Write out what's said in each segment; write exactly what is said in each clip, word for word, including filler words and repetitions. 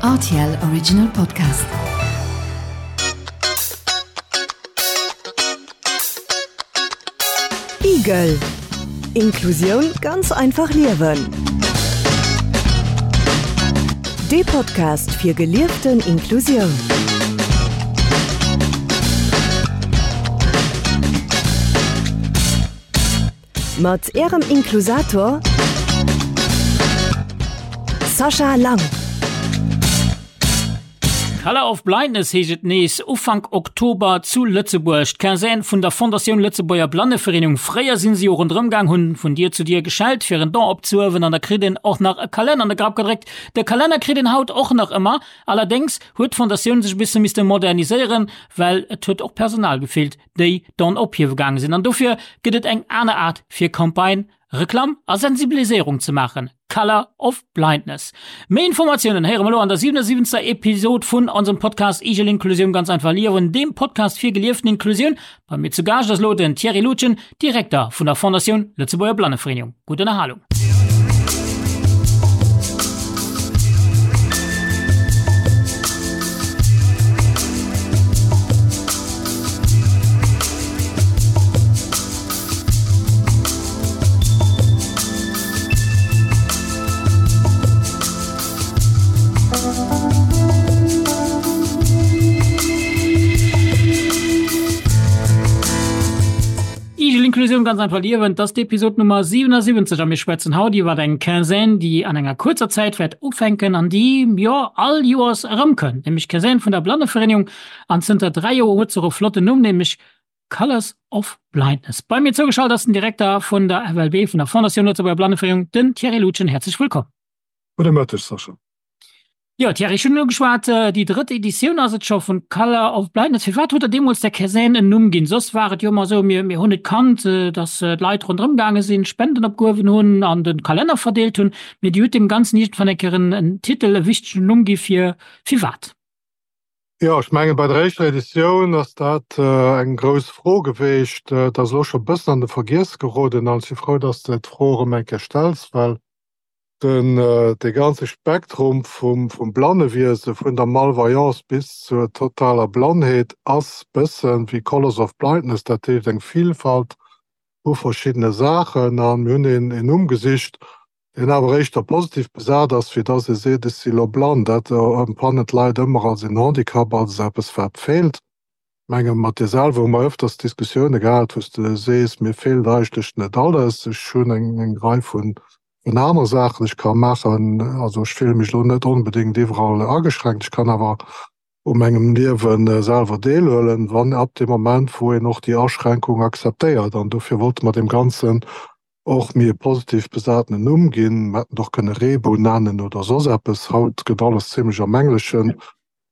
R T L Original Podcast. Igel. Inklusioun ganz einfach liewen. De Podcast fir gelieften Inklusioun. Mat ärem Inklusator Sascha Lang. Color of Blindness heescht et nees Ufank Oktober zu Lëtzebuerg. D'Quinzaine vun der Fondatioun Lëtzebuerger Blannevereenegung. Fréier sinn se jo ronderëm gaang, hunn vun Dier zu Dier geschellt fir en Don opzehiewen an da kritt een och nach e Kalenner an de Grapp gedréckt. De Kalenner kritt een haut och nach ëmmer. Allerdéngs huet d'Fondatioun sech e bësse misste moderniséieren, well et huet och Personal gefeelt, déi Don ophiewe gaange sinn. An dofir gëtt et eng aner Aart fir Campagne, Reklamm a Sensibiliséierung ze maachen, Color of Blindness. Méi Informatiounen héiere mer elo an der siwenundsiwwenzegster Episod vun onsem Podcast Igel Inklusioun ganz einfach liewen, deem Podcast fir gelieften Inklusioun. Bei mir zu Gaascht ass elo den Thierry Lutgen, Direkter vun der Fondatioun Lëtzebuerger Blannevereenegung. Gutt Ënnerhalung. Igel Inklusioun ganz einfach liewen, dat ass d'Episod Nummer siwenundsiwwenzeg a mir schwätzen haut iwwer eng Quinzaine, déi an enger kuerzer Zäit wäert ufänken an déi, jo, all Joers erëmkënnt, nämlech d'Quinzaine vun der Blannevereenegung an zënter dräi Joer huet se och e flotten Numm, nämlech Colors of Blindness. Bei mir zougeschalt ass den Direkter vun der F L B, vun der Fondatioun Lëtzebuerger Blannevereenegung, den Thierry Lutgen. Häerzlech wëllkomm. Gudde Mëtteg, Sascha. Jo, Thierry, ech hunn elo geschwat, déi drëtt Editioun ass et scho vun Color of Blindness. Firwat hutt Der deemools der Quinzaine en Numm ginn? Soss war et jo ëmmer esou, mir, mir hunn et kannt, datt d'Leit ronderëm gaange sinn, Spenden opgehuewen hunn an de Kalenner verdeelt hunn. Mee Dir hutt deem Ganzen iergendwann eng Kéier en, en Titel, e wichtegen Numm gi fir firwat? Jo, ech mengen, bei der éischter Editioun ass dat eng grouss Fro geweecht. Dat ass elo scho e bëssen an de Vergiess geroden an ech si frou, datt s de d'Fro erëm eng Kéier stells, well Den de ganze Spektrum vum vum Blannewiese, vun der Malvoyance bis zur totaler Blannheet ass bëssen wéi Colors of Blindness, dat heescht eng Vielfalt u verschiddene Saachen. A mir hunn een een Numm gesicht, deen awer éischter positiv besat ass, wéi dass ee seet, ech si lo blann. Dat empfannen d'Leit ëmmer als een Handicap, als eppes wat feelt. Menge mat dir selwer hu mer ëfters Diskussioune gehat, wou s de sees, mir feelt eigentlech net alles, ech hunn eng eng Rei vun vun aner Saachen, ech ka maachen, also ech fille mech elo net onbedéngt iwwerall ageschränkt, ech kann awer u mengem Liewe selwer deelhuelen, wann ab deem Moment wou een och déi Aschränkung akzeptéiert. An dofir wollte mer deem Ganzen och méi e positiv besatenen Numm ginn. Mer hätten et och kënne Reebou nennen oder soss eppes. Haut gëtt alles zimlech am Engleschen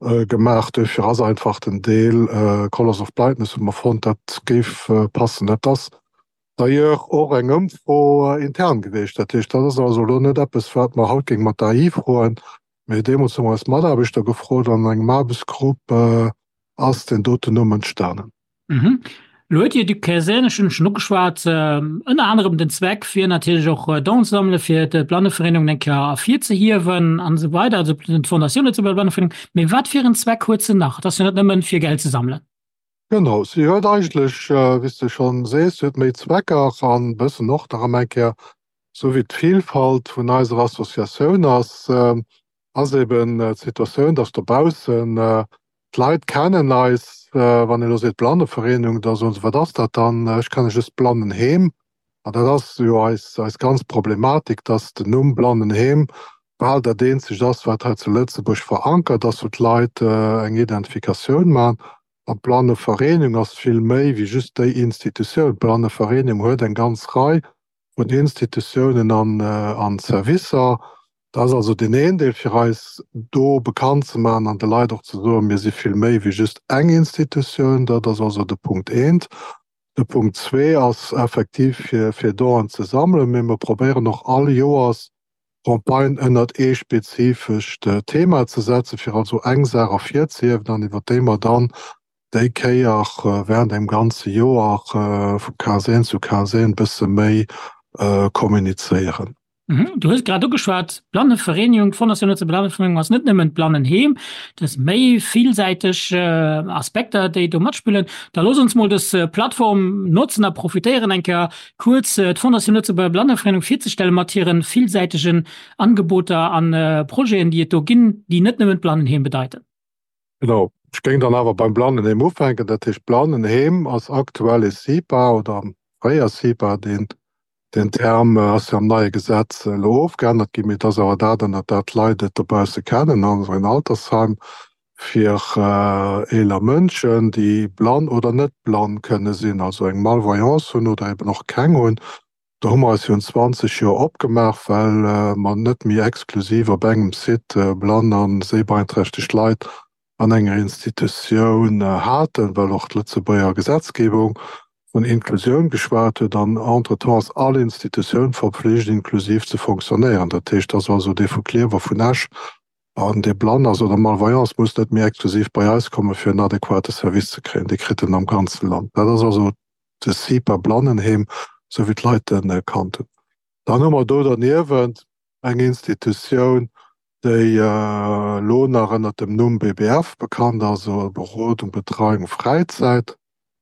gemaach. Duerfir ass einfach den Deel Colors of Blindness, hu mer fonnt, dat géif passen. Dat ass d'ailleurs och eng Ëmfro intern gewiescht. Dat heescht, dat ass also elo net eppes, wat mer haut géinge mat der A I froen, mee deemools hu mer eis Mataarbechter gefrot an engem Aarbechtsgrupp ass deen doten Numm entstanen. Elo huet Dir d'Quinzaine schonn schonn ugeschwat, ënner anerem den Zweck fir natierlech och Donen ze sammelen, fir d'Blannevereenegung eng Kéier ervirzehiewen an esou weider, also d'Fondatioun Lëtzebuerger Blannevereenegung. Mee wat fir en Zweck huet se nach? Et ass jo net nëmmen fir Geld ze sammelen. Genau, si huet eigentlech, wéi s de schonn sees, huet méi Zwecker an e bëssen och nach ëm eng Kéier, esou wéi d'Vilfalt vun eiser Associatioun ass, ass eben d'Situatioun, dass dobaussen d'Leit kennen eis, wann een elo seet Blannevereenung, da soen se, wat ass dat dann? Ech kenne just Blannenheem. An dat ass jo eis, eis ganz Problematik, dass den Numm Blannenheem bal dat eenzegt ass, wat hei zu Lëtzebuerg verankert ass, wou d'Leit eng Identifikatioun maachen. An d'Blannevereenung ass vill méi wéi just déi Institutioun. D'Blannevereenung huet eng ganz Rei vun Institutiounen an, an Servicer. Dat ass also deen een Deel, fir eis do bekannt ze maachen an de Leit och ze soen, mir si vill méi wéi just eng Institutioun. Dat ass also de Punkt eent. De Punkt zwee ass effektiv, fir, fir Donen ze sammelen, mee mer probéieren och all Joers Campagnen ënnert ee spezifescht Thema ze setzen, fir also eng Saach ervirzehiewen an iwwer déi mer dann déi Kéier während engem ganze Joer vu Quinzaine zu Quinzaine e bësse méi kommunizéieren. Mhm. Du hues grad ugeschwat, d'Blannevereenegung, d'Fondation Lëtzebuerger Blannevereenegung ass net nëmmen d'Blannenheem, dat ass méi villsäiteg Aspekter, déi do matspillen. Da looss ons mol dës Plattform notzen a profitéieren, eng Kéier kuerz d'Fondation Lëtzebuerger Blannevereenegung virzestellen mat hire villsäitegen Angeboter a Projeten, déi et do ginn, déi net nëmmen d'Blannenheem bedeiten. Genau, ech géing dann awer beim Blannenheem ufänken. Dat heescht, d'Blannenheem ass aktuell e CIPA oder fréier CIPA, deen Deen Term ass jo am neie Gesetz elo ofgeännert ginn, mee et ass awer dat, ënnert dat d'Leit et dobausse kennen, also en Altersheim fir eeler Mënschen, déi blann oder net blann kënne sinn, also eng Malvoyance hunn oder eben och keng hunn. Do hu mer eis virun zwanzeg Joer opgemaach, well mer net méi exklusiv op engem Site blann a séibeeinträchtegt Leit an enger Institutioun haten, well och d'Lëtzebuerger Gesetzgebung vun Inklusioun geschwat huet an entretemps ass all Institutioun verpflicht inklusiv ze fonctionnéieren. Dat heescht, dass also dee vu Klierf a vun Esch an dee blann ass oder malvoyant ass, muss net méi exklusiv bei eis komme fir en adequate Service ze kréien. Dee kritt en am ganze Land. Dat ass also de CIPA Blannenheem, esou wéi d'Leit en kannt hunn. Dann hu mer do derniewent eng Institutioun, déi elo nach ënnert dem Numm B B F bekannt ass, also Berodung, Betreiung, Fräizäit.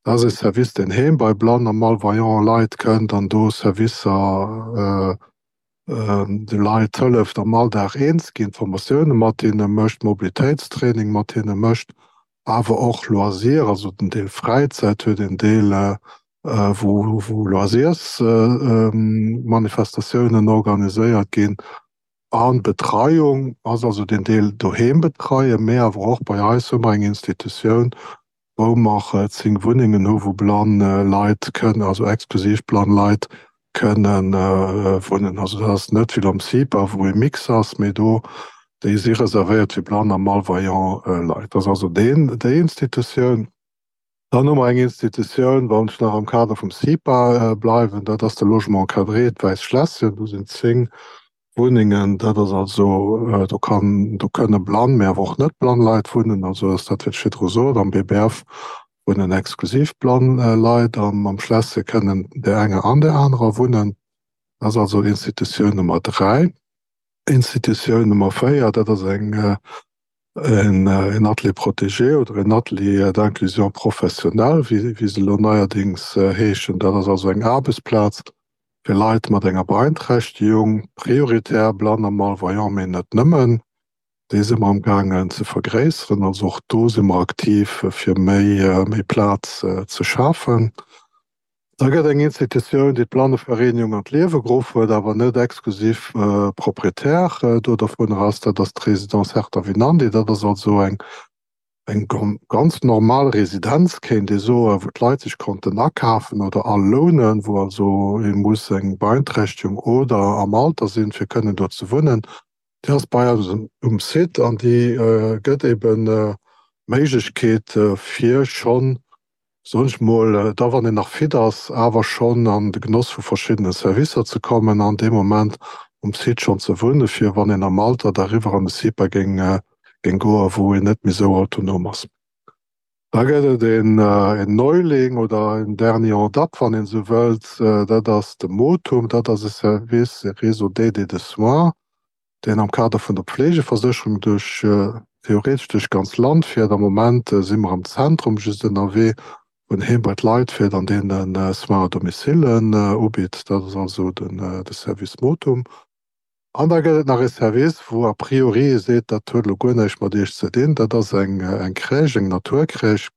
Dat ass e Service, deen heem bei blann a malvoyant Leit kënnt an do Servicer de Leit hëlleft am Alldag eens ginn, Formatioune mat hinne mécht, Mobilitéitstraining mat hinne mécht, awer och Loisir, also den Deel Fräizäit huet een Deel, wou Loisirsmanifestatiounen organiséiert ginn. An Betreiung ass also den Deel doheem betreien, mee awer och bei eis hu mer eng Institutioun, wou mer zéng Wunnengen hu wou blann Leit kënnen, also exklusiv blann Leit kënnen wunnen. Also dat ass net wéi am CIPA, wou e Mix ass, mee do déi si reservéiert fir blann a malvoyant Leit. Dat ass also deen, déi Institutioun. Dann hu mer eng Institutioun, wann ech nach am Kader vum CIPA bleiwen, dat ass de Logement encadré, d'Wäisst Schlässchen. Do sinn zéng Wunnengen. Dat ass also, do kann, do kënne blann, mee awer och net blann Leit wunnen. Also ass dat, wat ech virdru sot, am B B F wunnen exklusiv blann Leit an am Schlässche kënnen där enger an där anerer wunnen. Dat ass also Institutioun Nummer dräi. Institutioun Nummer véier, dat ass eng en Atelier protégé oder en Atelier d'inclusion professionnelle, wéi wéi se elo neierdings heeschen. Dat ass also eng Aarbechtsplaz fir Leit mat enger Beeinträchtegung, prioritär blann a malvoyant, mee net nëmmen. Déi si mer amgaangen ze vergréisseren. Also och do si mer aktiv, fir méi méi Plaz ze schafen. Da gëtt eng Institutioun, déi d'Blannevereenigung an d'Liewe geruff huet, awer net exklusiv Proprietär do dovunner ass, dat ass d'Résidence Hertha Winandy. Dat ass also eng eng ganz normal Residenz, kéint ee soen, wou d'Leit sech konnten akafen oder alounen, wou also ee muss eng Beeinträchtegung oder am Alter sinn, fir kënnen do ze wunnen. Déi ass bei eis um Site an déi gëtt eben d'Méiglechkeet, fir schonn, soen ech mol, da wann een nach fit ass, awer schonn an de Genoss vu verschiddene Servicer ze kommen an dee Moment um Site schonn ze wunnen, fir wann een am Alter da eriwwer an de CIPA géing géing goen, wou een net méi esou autonom ass. Da gëtt et een Neuling oder en Dernier en date, wann een esou wëllt, dat ass de Motum, dat ass e Service, e Réseau d'aide et de soins, deen am Kader vun der Pflegeversécherung duerch, theoretesch duerch d'ganz Land fiert. Am Moment si mer am Zentrum just ënnerwee, wou en heem bei d'Leit fiert an deene Soins à domicile ubitt. Dat ass also de Service Motum. An da gëtt et nach e Service, wou a priori ee seet, dat huet elo guer näischt mat Iech ze dinn, dat ass eng eng Crèche, eng Naturcrèche,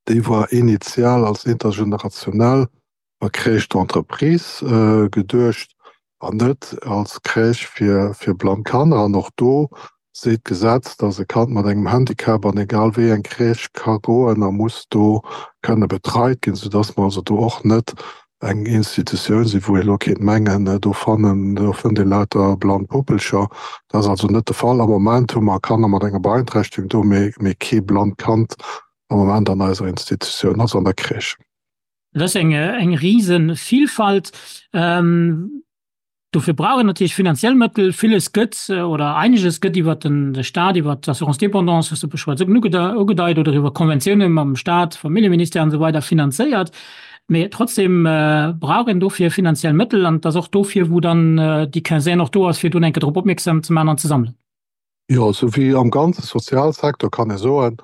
déi war initial als intergenerationell Crèche d'entreprise geduecht an net als Crèche fir fir blann Kanner. An och do seet d'Gesetz, dass e Kand mat engem Handicap an egal wéi eng Crèche ka goen a muss do kënne betreit ginn, soudass mer also do och net eng Institutioun sinn, wou ee elo kéint mengen, do fannen, do fënnt ee lauter blann Puppelcher. Dat ass also net de Fall. Am Moment hu mer Kanner mat enger Beeinträchtegung do, mee, mee kee blannt Kand am Moment an eiser Institutioun, also an der Crèche. Dat ass eng, eng Risevielfalt. Dofir brauch een natierlech finanziell Mëttel. Villes gëtt oder einiges gëtt iwwer den de Staat, iwwer d'Assurance dépendance, hues de beschwat ugedeit, oder iwwer Konventioune mam Staat, Familljeministère an esou weider finanzéiert. Mee trotzdem brauch een dofir finanziell Mëttel an et ass och dofir, wou dann déi Quinzaine och do ass, fir do eng Kéier drop opmierksam ze maachen an ze sammelen. Jo, esou wéi am ganze Sozialsecteur kann ee soen,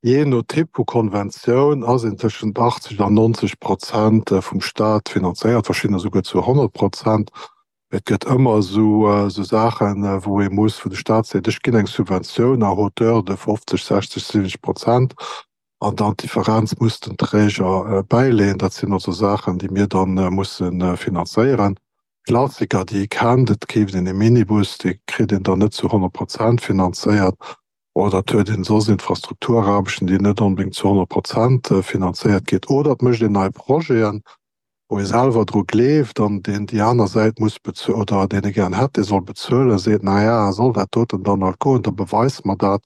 jee no Typ vu Konventioun ass een tëschent achtzeg an nonzeg Prozent vum Staat finanzéiert, verschiddener esouguer zu honnert Prozent. Et gëtt ëmmer esou Saachen, wou ee muss, wou de Staat seet, ech ginn eng Subventioun à hauteur de fofzeg, sechzeg, siwwenzeg Prozent an dann d'Differenz muss den Träger bäileeën. Dat sinn also Saachen, déi mir da musse finanzéieren. Klassiker, déi ee kennt, et keeft een e Minibus, dee kritt een dann net zu honnert Prozent finanzéiert oder et huet een soss Infrastrukturaarbechten, déi net onbedéngt zu honnert Prozent finanzéiert ginn oder et mécht een nei Projeten, wou ee selwer dru gleeft an deen déi aner Säit muss bezuelen oder deen e gären hätt, dee soll bezuelen, seet, na ja, soll dat doten dann halt goen, da beweise mer dat.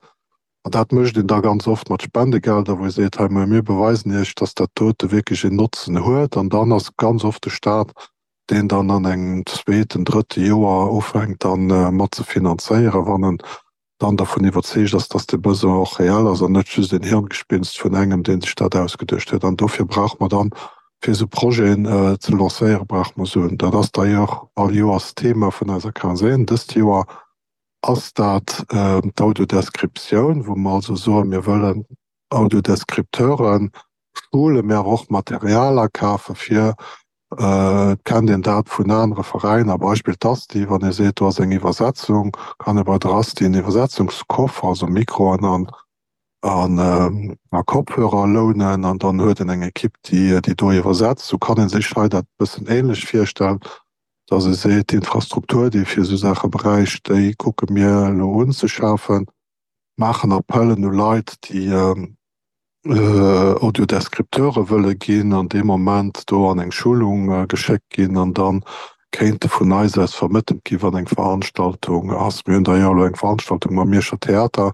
An dat mécht een da ganz oft mat Spendegelder, wou ee seet, hei, mir beweisen Iech, dass dat dote wierklech een Notzen huet. An dann ass ganz oft de Staat, deen dann an engem zweeten, drëtte Joer ufänkt dann mat ze finanzéieren, wann en dann dervun iwwerzeegt ass, dass de Besoin och reell ass an net just en Hirngespinst vun engem, dee sech dat ausgeduecht huet. An dofir brauche mer dann, fir esou Projeten ze lancéieren, brauche mer Suen. Dat ass d'ailleurs all Joers d'Thema vun eiser Quinzaine. Dëst Joer ass dat d'Audiodescriptioun, wou mer also soen, mir wëllen Audiodescripteure schulen, mä awer och Material akafe fir, et kennt een dat vun anere Veräiner, Beispill d'Asti, wann ee seet, do ass eng Iwwersetzung, kann ee bei der Asti en Iwwersetzungskoffer, also Mikroen an a Kopfhörer lounen an dann huet een eng Ekipp, déi do iwwersetzt. Sou kann ee sech hei dat e bëssen änlech virstellen, dass ee seet, d'Infrastruktur, déi ee fir esou Saache bräicht, déi kucke mir elo unzeschafen, maachen Appellen u Leit, déi Audiodescripteure wëlle ginn an dee Moment do an eng Schulung geschéckt ginn an da kéinte vun eis aus vermëttelt ginn, wann eng Veranstaltung ass. Mir hunn d'ailleurs elo eng Veranstaltung mam Mierscher Theater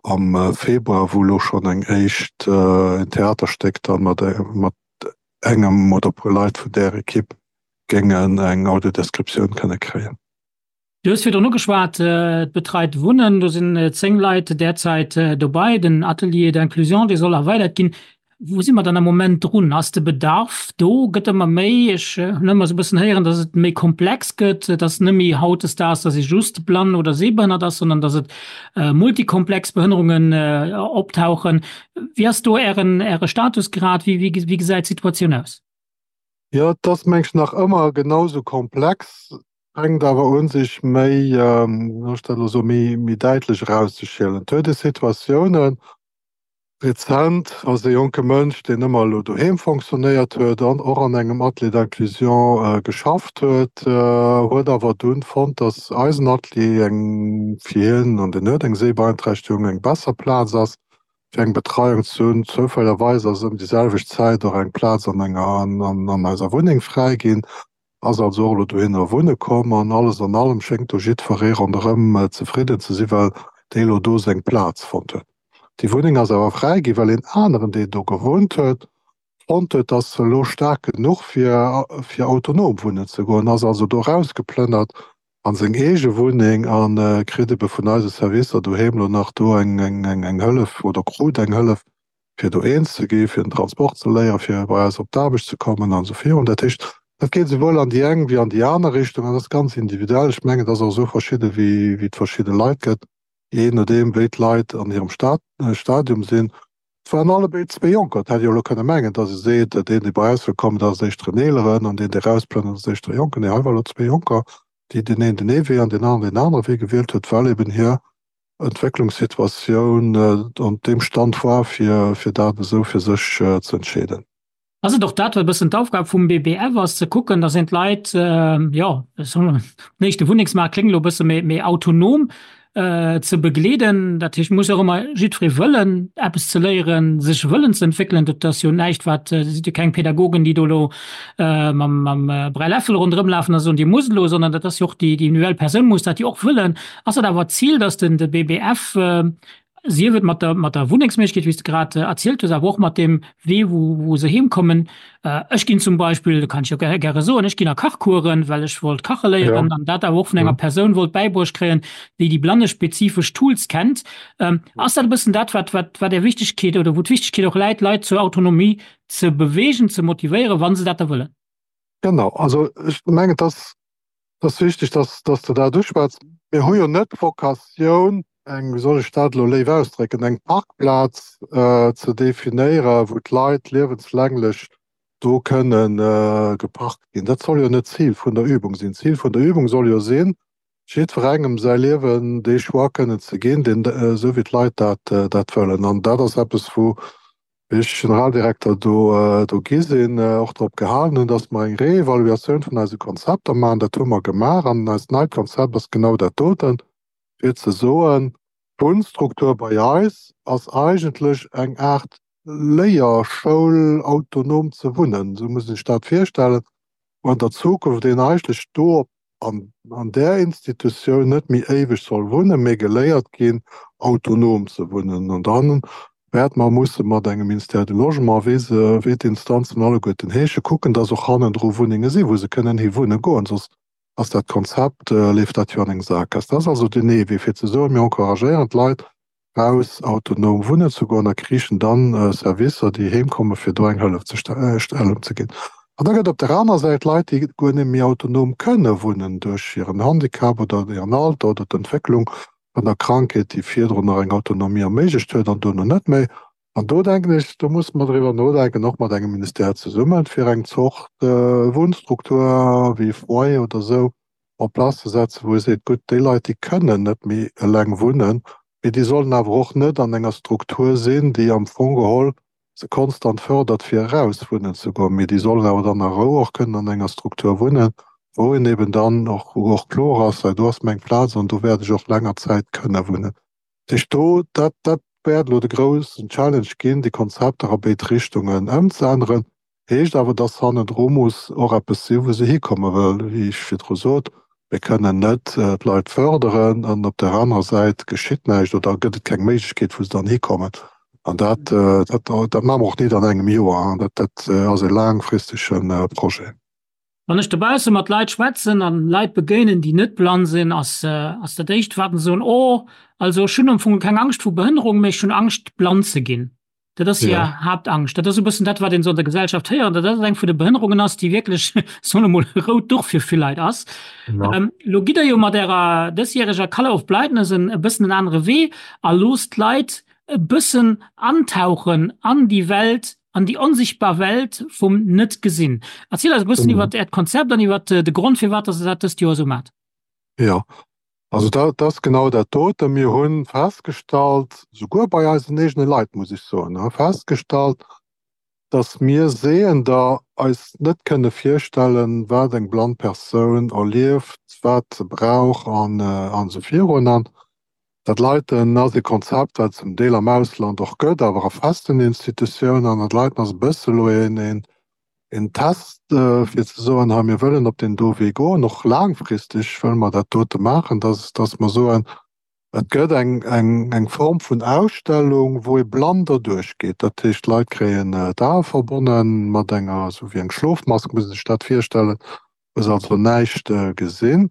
am Februar, wou elo schonn eng éischt en Theaterstéck dann mat mat engem oder e puer Leit vun där Ekipp géingen eng Audiodescriptioun kënne kréien. Du hues virdrun ugeschwat, d'betreit Wunnen, do sinn zéng Leit derzäit dobei. Den Atelier d'inclusion, dee soll erweidert ginn. Wou si mer dann am Moment drun? Ass de Bedarf do? Gëtt ëmmer méi? Ech hunn ëmmer esou e bëssen héieren, datt et méi komplex gëtt, datt net méi hautdesdaags, datt ee just blann oder sehbehënnert ass, sondern datt et multikomplex Behënnerungen optauchen. Wéi ass do Ären, Äre Status grad? Wéi, wéi gesäit d'Situatioun aus? Jo, et ass, meng ech, nach ëmmer genau esou komplex. Fänkt awer un sech méi, wéi soll ech dat elo soen, méi, méi däitlech erauszeschielen. Et huet ee Situatiounen, rezent ass e jonke Mënsch, deen ëmmer elo doheem fonctionnéiert huet an och an engem Atelier d'inclusion geschafft huet, huet awer dunn fonnt, datt eisen Atelier eng fir hien, an deen huet eng Sehbeeinträchtegung, eng besser Plaz ass, fir eng Betreiung ze hunn. Zoufällerweis ass ëm déi selwecht Zäit och eng Plaz an enger, an eiser Wunneng fräi ginn. Ass also och elo dohinner wunne komm an alles an allem schéngt do jiddweree ronderëm zefridden ze sinn, well dee elo do seng Plaz fonnt huet. Déi Wunneng ass awer fräi ginn, well een aneren, deen do gewunnt huet, fonnt huet, dass se elo staark genuch wier, fir autonom wunnen ze goen, ass also do erausgeplënnert an seng eege Wunneng a kritt ebe vun eise Servicer doheem elo nach do eng Hëllef oder krut eng Hëllef, fir do eens ze ginn, fir den Transport ze léieren, fir bei eis op d'Aarbecht ze kommen an esou virun. Dat heescht, dat geet esouwuel an déi eng wéi an déi aner Richtung an dat ass ganz individuell. Ech mengen, et ass och esou verschidde wéi et verschidde Leit gëtt, jee nodeem wéi d'Leit an hirem Stadium sinn. Et waren allebéid zwee Jonker. Et hätt ee jo elo kënne mengen, datt ee seet, deen, dee bei eis wëll kommen, dat ass éischter en Eeleren an deen, dee erausplënnert, ass éischter e Jonken. Nee, hei war elo zwee Jonker, déi deen een den ee Wee an deen aneren deen anere Wee gewielt huet, well eben hir Entwécklungssituatioun an deem Stand war, fir fir dat esou fir sech ze entscheeden. Ass et och dat, wat e bëssen d'Aufgab vum B B F ass, ze kucken, datt een d'Leit, jo, den éischte Wunnengsmaart kléngt elo e bësse méi, méi autonom ze begleeden? Dat heescht, muss och ëmmer jiddweree wëllen eppes ze léieren, sech wëllen ze entwéckelen. Dat ass jo näischt, wat, dat si jo keng Pädagogen, déi do elo mam mam Bräiläffel ronderëm lafen a soen, Dir musst elo, sondern dat ass jo och déi individuell Persoun muss dat jo och wëllen. Ass dat awer d'Zil, datt den de B B F Sief et mat der, mat der Wunnengsméiglechkeet, wéi s de grad erzielt hues, awer och mat deem Wee, wou, wou se heemkommen. Ech ginn zum Beispill, dat kann ech jo gäre soen, ech ginn a Kachcoursen, well ech wollt kache léieren an dat awer och vun enger Persoun wollt bäibruecht kréien, déi déi blannespezifesch Tools kennt. Ass dat e bëssen dat, wat, wat, wat Är Wichtegkeet oder wou d'Wichtegkeet och läit, Leit zur Autonomie ze beweegen, ze motivéieren, wa se dat da wëllen? Genau, also ech mengen, et ass, et ass wichteg, dass, dass de dat uschwätz. Mir hu jo net d'Vocatioun, eng, wéi soll ech dat elo léif ausdrécken, eng Parkplaz ze definéieren, wou d'Leit liewenslänglech do kënnen geparkt ginn. Dat soll jo net d'Zil vun der Übung sinn. D'Zil vun der Übung soll jo sinn, jiddwerengem säi Liewen dee Choix kënnen ze ginn, deen, esou wéi d'Leit dat, dat wëllen. An dat ass eppes, wou ech Generaldirekter do, do gi sinn, och drop gehalen hunn, dass mer eng Reevaluatioun vun eise Konzepter maachen. Dat hu mer gemaach an eist neit Konzept ass genau dat doten. fir ze soen, d'Wunnstruktur bei eis ass eigentlech eng Aart Léierschoul, autonom ze wunnen, esou muss een sech dat virstellen, wou an der Zukunft een eigentlech do an an där Institutioun net méi éiweg soll wunnen, mee geléiert ginn, autonom ze wunnen. An da wäerte mer musse mat engem Ministère du Logement, wéi se, wéi d'Instanzen alleguerten heesche, kucken, dass och hannendru Wunnenge sinn, wou se kënnen hi wunne goen, soss ass dat Konzept, leeft dat jo an eng Saakgaass. Dat ass also den ee Wee, fir ze soen, mir encouragéieren d'Leit, raus autonom wunnen ze goen a kriichen dann Servicer, déi heem kommen, fir do eng Hëllefstellung ze ginn. An da gëtt op der anerer Säit Leit, déi guer net méi autonom kënne wunnen duerch hiren Handicap oder hiren Alter oder d'Entwécklung vun der Krankheet, déi virdrun nach eng Autonomie erméiglecht huet an duerno net méi. An do denken ech, do musse mer driwwer nodenken, och mat engem Ministère zesummen, fir eng Zort Wunnstruktur wéi e Foyer oder esou en place ze setzen, wou ee seet, gutt, déi Leit, déi kënnen net méi eleng wunnen, mee déi sollen awer och net an enger Struktur sinn, déi am Fong geholl se konstant fördert, fir eraus wunnen ze goen, mee déi sollen awer dann a Rou och kënnen an enger Struktur wunnen, wou een eben dann och, wou och kloer ass, hei do ass meng Plaz an do wäert ech och länger Zäit kënne wunnen. Dat heescht, do, dat, dat wäert elo de groussen Challenge ginn, déi Konzepter a béid Richtungen ëmzeänneren. Heescht awer, dass hannendru muss och eppes sinn, wou se hikommen, well, wéi ech virdru sot, mir kënnen net d'Leit fërderen an op där anerer Säit geschitt näischt oder gëtt et keng Méiglechkeet, wou se dann hikommen. An dat, dat, dat maache mer och net an engem Joer. Dat, dat ass e laangfristege Projet. Wann ech dobausse mat Leit schwätzen an Leit begéinen, déi net blann sinn, ass ass dat éischt wat se soen, Oh, also ech hunn am Fong keng Angscht vu Behënnerung, mee ech hunn Angscht blann ze ginn. Dat ass hir Haaptangscht. Dat ass e bëssen dat, wat een esou an der Gesellschaft héiert, datt dat eng vun de Behënnerungen ass, déi wierklech, soen ech mol, e rout Duch fir vill Leit ass. Elo gitt Der jo mat Ärer dësjäreger Colour of Blindness en e bëssen en anere Wee a loosst d'Leit e bëssen antauchen an déi Welt, an déi onsichtbar Welt vum Net-Gesinn. Erziel eis e bëssen iwwer Äert Konzept an iwwer de Grond, firwat dass Der dat dëst Joer esou maacht. Jo, also dat ass genau dat doten. Mir hu festgestallt, souguer bei eisen eegene Leit, muss ech soen, festgestallt, dass mir Sehender eis net kënne virstellen, wat eng blann Persoun erlieft, wat se brauch an esou virun. An dat Leiten ass e Konzept, wat et zum Deel am Ausland och gëtt, awer a festen Institutiounen. An dat Leiten ass e bësse elo een Test, fir ze soen, hei mir wëllen op deen do Wee goen, och laangfristeg wëlle mer dat dote maachen, dass, dass mer soen, et gëtt eng, eng, eng Form vun Ausstellung, wou ee blann derduerch geet. Dat heescht, d'Leit kréien d'Ae verbonne mat enger, esou wéi eng Schlofmask, muss ee sech dat virstellen, wou se also näischt gesinn.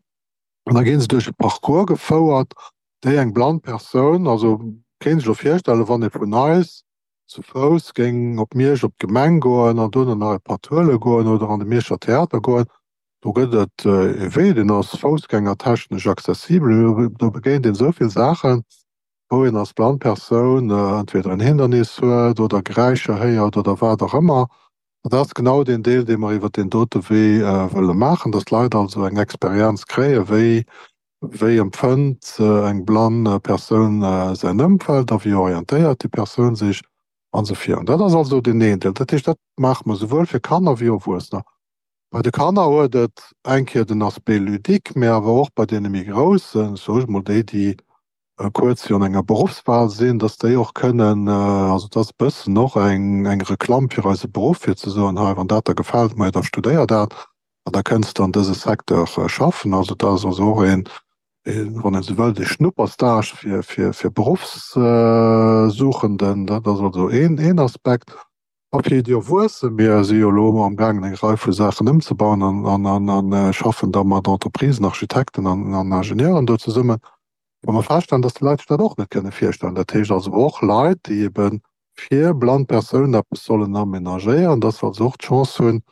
An da gi se duerch e Parcours gefouert, déi eng blann Persoun, also kéint sech elo virstellen, wann ee vun eis zu Fouss géing op Miersch op d'Gemeng goen an dono nach e Patt huele goen oder an de Mierscher Theater goen, do gëtt et e Wee, deen ass foussgängertechnesch accessibel, do begéint een esou vill Saachen, wou een als blann Persoun entweder en Hindernis huet oder Geräischer héiert oder wat och ëmmer. An dat ass genau deen Deel, dee mer iwwert deen dote Wee wëlle maachen, dass d'Leit also eng Experienz kréien, wéi wéi empfënnt eng blann Persoun säin Ëmfeld a wéi orientéiert déi Persoun sech an esou virun. Dat ass also deen een Deel. Dat heescht, dat maache mer souwuel fir Kanner wéi Erwuessener. Bei de Kanner huet et eng Kéier den Aspect ludique, mä awer och bei deene méi Groussen, soe ech mol, déi, déi kuerz virun enger Beruffswahl sinn, dass déi och kënnen, also et ass e bëssen och eng eng Reklamm fir eise Beruff, fir ze soen, hei, wann dat der gefält, majo da studéier dat an da kënns de an dëse Secteur schaffen. Also dat ass also och een wann een esou wëllt, e Schnupperstage fir, fir, fir Beruffssuchenden. Dat ass also een, een Aspekt. A fir déi Erwuessen, mir si jo elo amgaangen eng Rei vu Saachen ëmzebauen an, an, an, an schaffen da mat Entreprisen, Architekten an, an Ingenieuren do zesummen, wou mer feststellen, dass déi Leit sech dat och net kënne virstellen. Dat heescht also och Leit, déi ebe fir blann Persounen eppes sollen amenagéieren, dass se also och d'Chance hunn,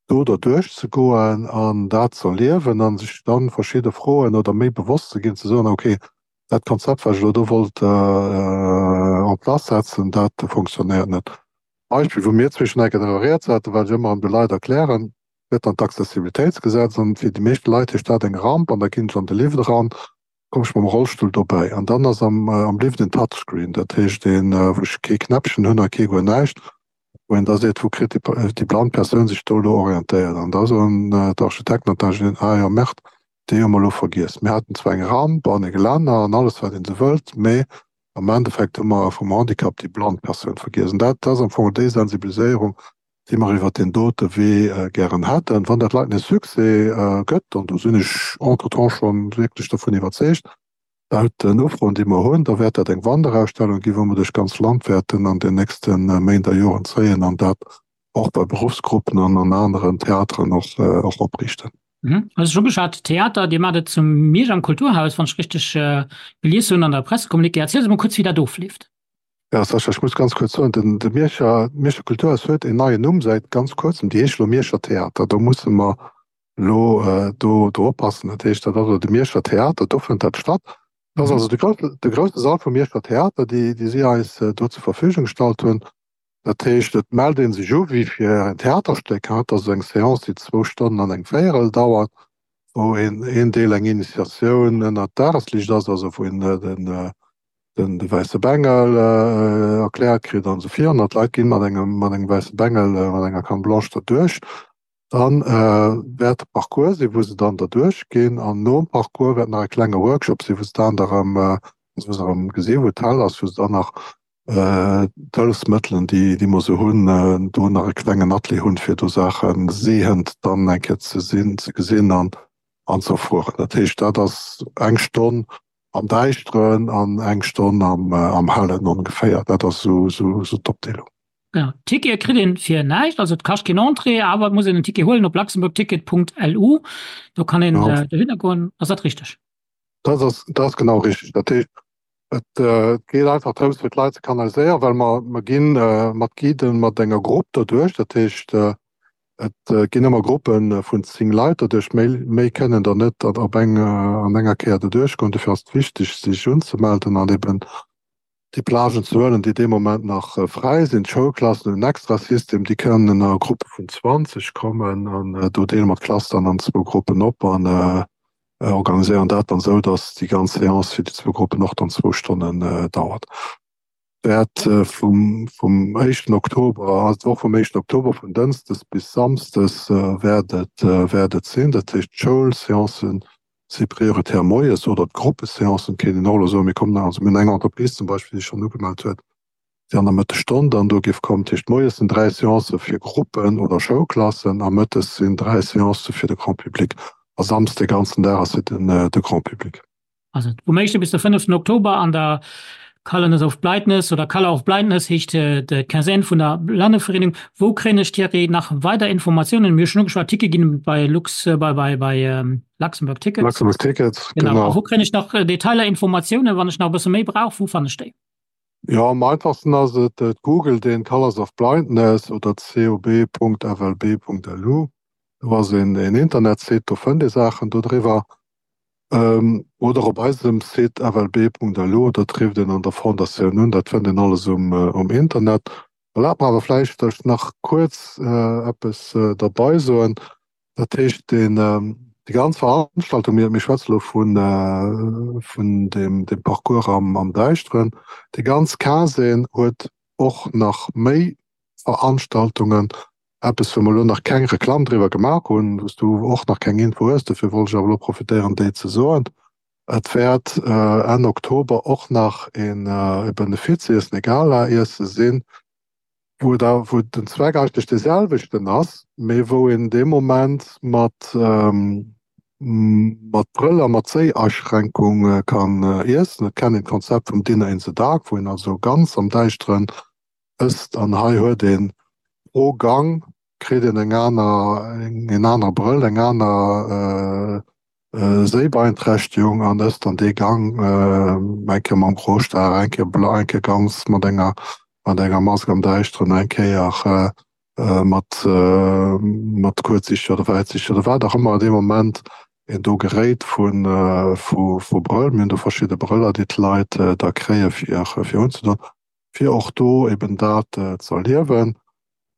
do derduerch ze goen an dat ze erliewen a sech dann verschidde Froen oder méi bewosst ze ginn, ze soen, okay, dat Konzept, wat ech elo do wollt en place setzen, dat funktionéiert net. Beispill, wou mir zwee schonn eng Kéier driwwer rieds haten, wat ech ëmmer erëm de Leit erklären, gëtt dann d'Accessibilitéitsgesetz an fir déi meeschte Leit heescht dat eng Ramp an da ginn ech an de Lift eran, komm ech mam Rollstull dobäi an dann ass am am Lift en Touchscreen, dat heescht een, wou ech kee Knäppchen hunn a kee guer näischt, wou een da seet, wou kritt déi déi blann Persoun sech do elo orientéiert an da soen d'Architekten an d'Ingenieuren, ah jo, Merde, déi hu mer elo vergiess. Mir haten zwar eng Ramp an e Gelänner an alles wat een esou wëllt, mee am Endeffekt hu mer vum Handicap déi blann Persoun vergiess. An dat ass am Fong déi Sensibiliséierung, déi mer iwwert deen dote Wee gären hätten. Wann dat Leiten e Succès gëtt, an do sinn ech entretemps scho wierklech dovun iwwerzeegt, laut den Ufroen, déi mer hunn, da wäert dat eng Wanderausstellung ginn, wou mer duerch d'ganz Land wäerten an den nächste Méint a Joren zéien an dat och bei Beruffsgruppen an an aneren Theateren och opriichten. Mhm. Also schon geschat Theater, Dir maacht et zum Miersch am Kulturhaus, wann ech richteg gelies hunn an der Pressecommuniqué. Erziel se mol kuerz, wéi dat ofleeft. Ja, Sascha, ech muss ganz kuerz soen, den de Mierscher, d'Mierscher Kulturhaus huet een neien Numm säit ganz kuerzem, déi heescht elo Mierscher Theater. Do musse mer elo do do oppassen. Dat heescht, dat ass elo de Mierscher Theater, do fënnt dat statt. Dat ass also de grousse, de grousse Sall vum Mierscher Theater, déi déi si eis do zur Verfügung gestallt hunn. Dat heescht, et mellt ee sech u wéi fir en Theaterstéck. Et ass eng Seance, déi zwou Stonnen an eng Véierel dauert, wou een een Deel eng Initiatioun ënnert Dagesliicht ass, also wou een den den de wäisse Bengel erkläert kritt an esou virun. An d'Leit ginn mat engem mat engem wäisse Bengel, mat enger Canne blanche derduerch. Dann wäert de Parcours sinn, wou se dann derduerch ginn. An nom Parcours wäert nach e klenge Workshop sinn, wou se dann erëm, wou se erëm gesinn, wou et hell ass, wou se dann nach d'Hëllefsmëttelen, déi déi mer sou hunn, do nach e klengen Atelier hunn, fir do Saache sehend dann eng Kéier ze sinn, ze gesinn an an ze erfueren. Dat heescht, dat ass eng Stonn am Däischteren an eng Stonn am am Hellen ongeféier. Dat ass esou esou esou d'Opdeelung. Genau, Tickete kritt een fir näischt, also et kascht keen Entrée, awer et muss een en Ticket huelen op luxembourgticket.lu. Do kann een dohinner goen. Ass dat richteg? Dat ass, dat ass genau richteg. Dat heescht, Et geet einfach drëms, fir d'Leit ze kanaliséieren, well mer, mer gi mat Guiden, mat enger Grupp derduerch. Dat heescht, et ginn ëmmer Gruppe vun zéng Leit derduerch. Méi, méi kënnen der net op eng, an enger Kéier derduerch goen. Dofir ass et wichteg, sech unzemelden an eben déi Plagen ze huelen, déi dee Moment nach fräi sinn. D'Schoulklassen hunn en extra System, déi kënnen a Gruppe vun zwanzeg kommen an do deele mer d'Klass dann an zwou Gruppen op an organiséieren dat dann esou, dass déi ganz Seance fir déi zwou Gruppen och dann zwou Stonnen dauert. Wäert vum vum éischten Oktober, also d'Woch vum éischten Oktober, vun Dënschdes bis Samsdes wäert et wäert et sinn. Dat heescht d'Schoulseancen si prioritär moies oder d'Gruppeseancen, kéint een och elo soen. Mir kommen, also mir hunn eng Entreprise zum Beispill, déi sech schonn ugemellt huet, déi an der Mëttesstonn dann do géif kommen. Dat heescht, moies sinn dräi Seancë fir Gruppen oder Schoulklassen a mëttes sinn dräi Seancë fir de Grand public. A Samsdes de ganzen Dag ass fir den de Grand public. Also vum éischte bis de fënneften Oktober an der Colors of Blindness oder Color of Blindness heescht d'Quinzaine vun der Blannevereenegung. Wou kréien ech, Thierry, nach weider Informatiounen? Mir hu schonn ugeschwat, Tickete ginn bei Lux, bei, bei, bei Luxembourg Tickets. Luxembourg Tickets, genau. Genau. A wou kréien ech nach Detailer, Informatiounen, wann ech nach e bësse méi brauch? Wou fannen ech déi? Jo, am einfachsten ass et, et googelt een Colors of Blindness oder cob.flb.lu. Do ass een een Internetsite, do fënnt ee Saachen do driwwer. Oder op eisem Site flb.lu, do trifft een an der Fondatioun un. Dat fënnt een alles um um Internet. Erlaabt mer awer vläicht, datt ech nach kuerz eppes derbei soen. Dat heescht, deen, déi ganz Veranstaltung, mir, mir schwätze lo vun, vun deem, deem Parcours am, am Däischteren, déi ganz Quinzaine huet och nach méi Veranstaltungen, eppes wou mer elo nach keng Reklamm driwwer gemaach hunn, wou s du och nach keng Info hues, dofir wollt ech awer elo profitéieren, déi ze soen. Et wäert Enn Oktober och nach een e Benefiziessen, e Gala-Iesse sinn, wou et awer, wou den Zweck eigentlech dee selwechten ass, mee wou een dee Moment mat, mat Brëll a mat Séiaschränkung kann iessen. Et kennt een d'Konzept vum Dinner in the Dark, wou een also ganz am Däischteren ësst an hei huet een pro Gang kritt een eng aner, en anere Brëll, eng aner Séibeeinträchtegung an ësst dann dee Gang eng Kéier mam Grostar, eng Kéier blann, eng Kéier ganz mat enger mat enger Mask am Däischteren, eng Kéier mat mat kuerzsichteg oder wäitsichteg oder wat och ëmmer dee Moment een do geréit vu vu Brëll. Mir hunn do verschidde Brëller, déi d'Leit da kréie fir fir unzedoen, fir och do eben dat ze erliewen.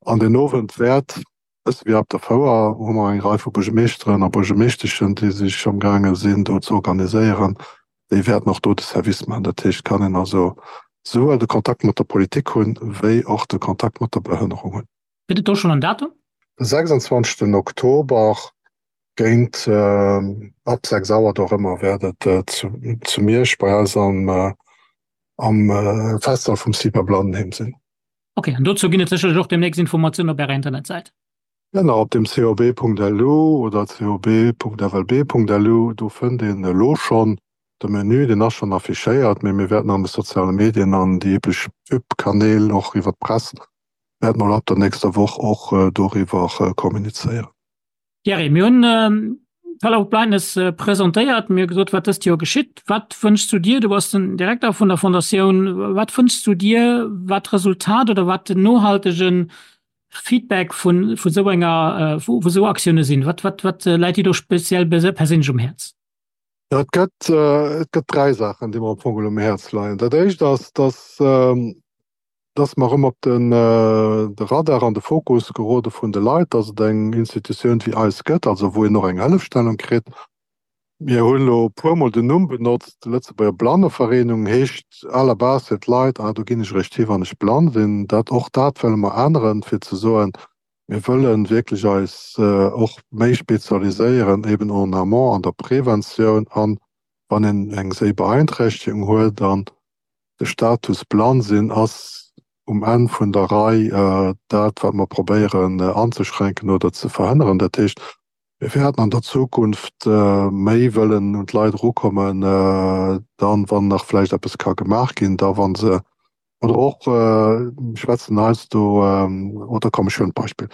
An deen Owend wäert, bësse wéi op der Fouer, hu mer eng Rei vu Buergermeeschteren a Buergermeeschteschen, déi sech amgaange sinn do ze organiséieren, déi wäerten och do de Service maachen. Dat heescht, et kann een also souwuel de Kontakt mat der Politik hunn, wéi och de Kontakt mat der Behënnerung hunn. Gëtt et do schonn en Datum? De sechsundzwanzegsten Oktober géint ab sechs Auer do erëmmer wäert et zu Miersch bei eis am am Festsall vum CIPA Blandenheem sinn. Ok, an dozou ginn et sécherlech och deemnächst Informatiounen op Ärer Internetsäit. Genau, op dem cob.lu oder cob.flb.lu, do fënnt een elo schonn de Menü, deen ass schonn affichéiert, mee mir wäerten an de soziale Medien an déi üblech Pub-Kanäl, och iwwer d'Press, wäerte mer ab der nächster Woch och doriwwer kommunizéieren. Thierry, mir hunn d'Fellow of Blindness presentéiert, mir hu gesot, wat dëst Joer geschitt. Wat wënschs du dir, du bass den Direkter vun der Fondatioun, wat wënschs du dir, wat d'Resultat oder wat den nohaltege Feedback vun esou enger, vu esou Aktioune sinn? Wat, wat, wat läit dir do speziell perséinlech um Häerz? Jo, et gëtt, et gëtt dräi Saachen, déi mer am Fong um Häerz leien. Dat éischt ass, dass, dass mer erëm op den de Radar an de Fokus gerode vun de Leit, dass et eng Institutioun wéi eis gëtt, also wou een och eng Hëllefstellung kritt. Mir hunn elo e puermol den Numm benotzt, Lëtzebuerger Blannevereenung heescht à la base fir d'Leit, ah do ginn ech eréischt hi wann ech blann sinn. Dat, och dat wëlle mer änneren, fir ze soen, mir wëlle wierklech eis och méi spezialiséieren eben en amont an der Preventioun an wann een eng Séibeeinträchtegung huet an de Status blann sinn ass um Enn vun der Rei dat, wat mer probéieren anzeschränken oder ze verhënneren. Dat heescht, mir wäerten an der Zukunft méi wëllen un d'Leit erukommen, dann, wann nach vläicht eppes ka gemaach ginn, da wa se, oder och, ech schwätzen heiansdo, oder komm, ech huelen d'Beispill,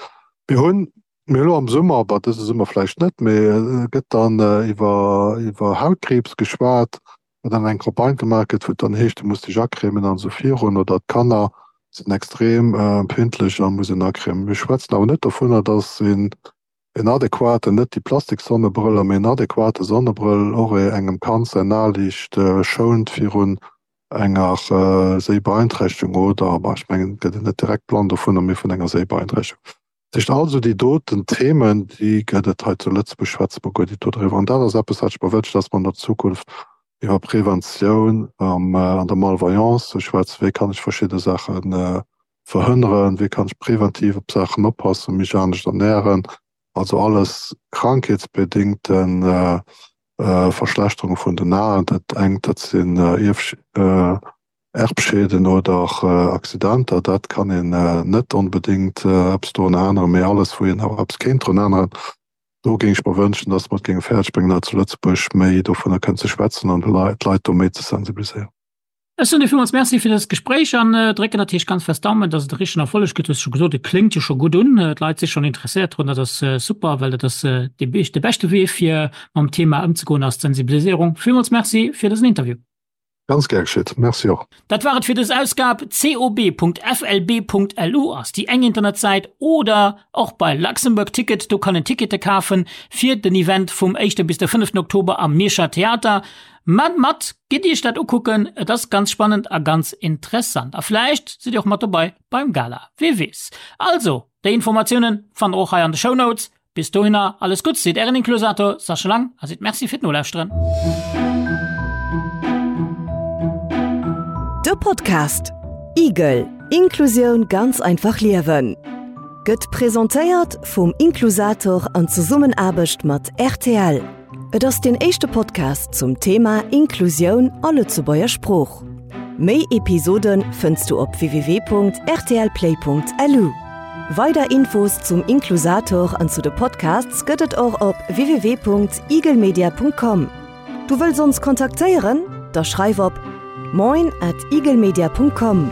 mir hunn, mir elo am Summer, bah, dëse Summer vläicht net, mee et gëtt dann iwwer, iwwer Hautkriibs geschwat, wou dann eng Campagne gemaach gëtt, wou et dann heescht, du muss dech acremen an esou virun, oder d'Kanner sinn extrem empfindlech a muss een acremen. Mir schwätzen awer net dovunner, dass een en adequaten, net déi Plastiksonnebrëller, mee en adequate Sonnebrëll och engem Kand säin Aliicht schount virun enger Séibeeinträchtegung oder, bah, ech mengen, et gëtt een net direkt blann dovunner, mee vun enger Séibeeinträchtegung. Dat heescht, all esou déi doten Themen, déi gëtt et hei zu Lëtzebuerg, schwätze mer guer nit dodriwwer. An dat ass eppes, wat ech mer wënschen, dass mer an der Zukunft iwwer Preventioun an der Malvoyance schwätzen, wéi kann ech verschidde Saache verhënneren, wéi kann ech preventiv op Saachen oppassen, mech anescht ernähren, also alles krankheetsbedingte Verschlechterunge vun den Aen. Dat engt, dat sinn Erbschäden oder Accidenter, dat kann een net onbedéngt eppes dorun änneren, mee alles, wou een awer eppes kéint drun änneren, do géing ech mer wënschen, datt mer et géinge fäerdeg bréngen, hei zu Lëtzebuerg méi dovunner kënnen ze schwätzen an d'Leit do méi ze sensibiliséieren. Ech soen dir villmools Merci fir dëst Gespréich an drécken natierlech ganz fest d'Daumen, dass et e richtegen Erfolleg gëtt. Du hues scho gesot, et kléngt jo scho gutt un, d'Leit si schonn interesséiert drun. Dat ass super, well dat ass de beschte Wee fir mam Thema ëmzegoen ass d'Sensibiliséierung. Villmools Merci fir dësen Interview. Ganz gär geschitt. Merci och. Dat war et fir dës Ausgab. cob.flb.lu ass déi eng Internetsäit oder och bei Luxembourg Ticket, do kann een Tickete kafen fir den Event vum éischte bis de fënneften Oktober am Mierscher Theater. Mat mat, gitt iech dat ukucken, et ass ganz spannend a ganz interessant. A vläicht sidd dir och mat dobei beim Gala, wee weess. Also, déi Informatiounen fannt der och hei an de Shownotes. Bis dohinner alles Gutts, seet ären Inklusator Sascha Lang a seet Merci fir d'Nolauschteren. De Podcast Igel, Inklusioun ganz einfach liewen gëtt presentéiert vum Inklusator an Zesummenaarbecht mat rtl. Et ass deen éischte Podcast zum Thema Inklusioun a Lëtzebuerger Sprooch. Méi Episode fënns du op www.rtlplay.lu. Weider Infos zum Inklusator an zu de Podcasts gëtt et och op www.igelmedia.com. Du wëlls ons kontaktéieren? Da schreif op moin at igelmedia.com.